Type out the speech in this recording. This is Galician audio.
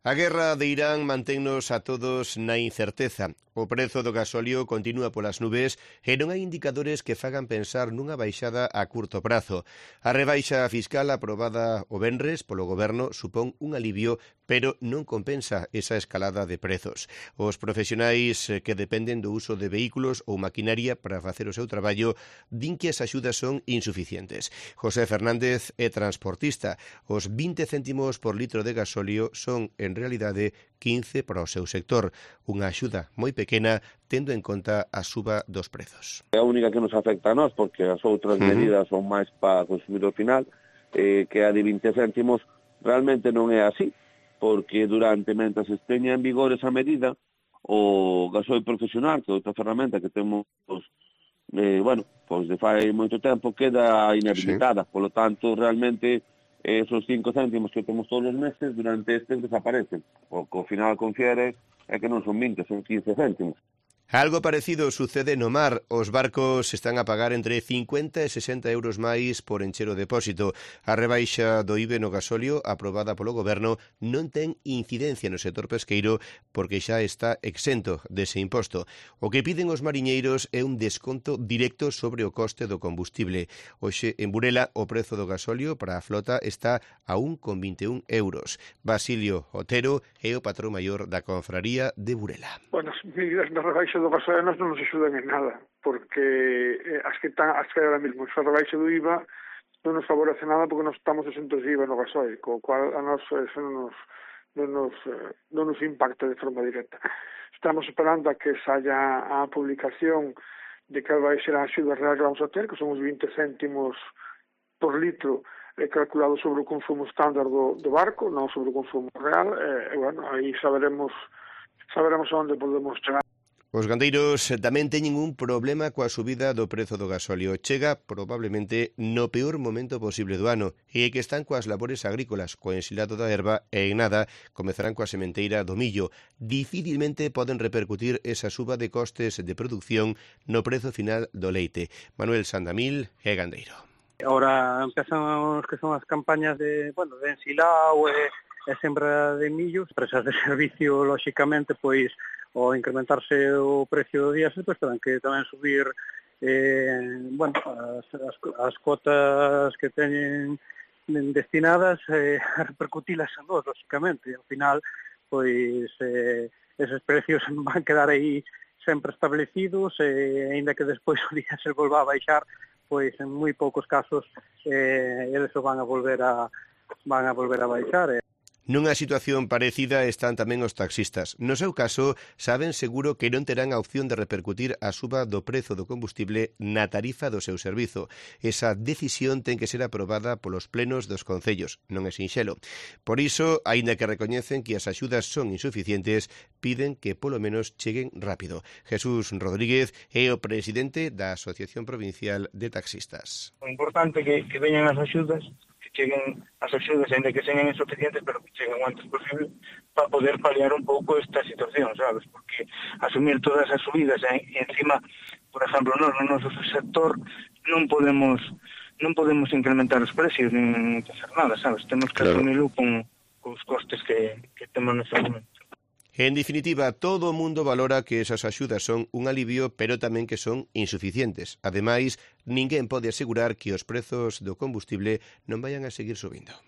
A guerra de Irán mantennos a todos na incerteza. O prezo do gasóleo continúa polas nubes e non hai indicadores que fagan pensar nunha baixada a curto prazo. A rebaixa fiscal aprobada o venres polo Goberno supón un alivio, pero non compensa esa escalada de prezos. Os profesionais que dependen do uso de vehículos ou maquinaria para facer o seu traballo din que as axudas son insuficientes. José Fernández é transportista. Os 20 céntimos por litro de gasóleo son, en realidade, 15 para o seu sector. Unha axuda moi pequena, tendo en conta a suba dos prezos. É a única que nos afecta a nós, porque as outras medidas son máis para o consumidor final, que a de 20 céntimos realmente non é así, porque mentras esteña en vigor esa medida, o gasoil profesional, que é outra ferramenta que temos, de fai moito tempo, queda inhabilitada. Sí. Polo tanto, realmente, esos 5 céntimos que temos todos os meses, durante estes desaparecen. O que ao final confiere é que non son 20, son 15 céntimos. Algo parecido sucede no mar. Os barcos están a pagar entre 50 e 60 euros máis por encher o depósito. A rebaixa do IVE no gasóleo aprobada polo Goberno non ten incidencia no sector pesqueiro porque xa está exento dese imposto. O que piden os mariñeiros é un desconto directo sobre o coste do combustible. Hoxe, en Burela, o prezo do gasóleo para a flota está a 1,21 euros. Basilio Otero é o patrón maior da confraría de Burela. Bueno, as medidas da rebaixa do gasóleo non nos axudan en nada, porque as que ahora mismo, esa rebaixa do IVA non nos favorece nada porque non estamos exentos de IVA no gasóleo, co cual a nos eso non nos impacta de forma directa. Estamos esperando a que saia a publicación de que vai ser a axuda real que vamos a ter, que son os 20 céntimos por litro calculado sobre o consumo estándar do barco, non sobre o consumo real, aí saberemos onde podemos chegar. Os gandeiros tamén teñen un problema coa subida do prezo do gasóleo. Chega probablemente no peor momento posible do ano e que están coas labores agrícolas, co ensilado da herba e en nada comezarán coa sementeira do millo. Dificilmente poden repercutir esa suba de costes de produción no prezo final do leite. Manuel Sandamil é gandeiro. Ahora empezan que son as campañas de ensilado e sembra de millos. Empresas de servicio, lóxicamente, pois ao incrementarse o precio do diésel, pois terán que tamén subir as cotas que teñen destinadas a repercutilas en dos, lóxicamente. Ao final, pois eses precios van quedar aí sempre establecidos e aínda que despois o diésel volva a baixar, pois en moi poucos casos eles o van a volver a baixar. Nunha situación parecida están tamén os taxistas. No seu caso, saben seguro que non terán a opción de repercutir a suba do prezo do combustible na tarifa do seu servizo. Esa decisión ten que ser aprobada polos plenos dos concellos. Non é sinxelo. Por iso, aínda que recoñecen que as axudas son insuficientes, piden que polo menos cheguen rápido. Jesús Rodríguez é o presidente da Asociación Provincial de Taxistas. O importante é que veñan as axudas, cheguen as axudas, ainda que sean insuficientes, pero que cheguen o antes posible para poder paliar un pouco esta situación, sabes? Porque asumir todas as subidas e encima, por exemplo, no noso sector non podemos incrementar os precios nin facer nada, sabes? Temos que asumirlo con os costes que temos neste momento. En definitiva, todo o mundo valora que esas axudas son un alivio, pero tamén que son insuficientes. Ademais, ninguén pode asegurar que os prezos do combustible non vayan a seguir subindo.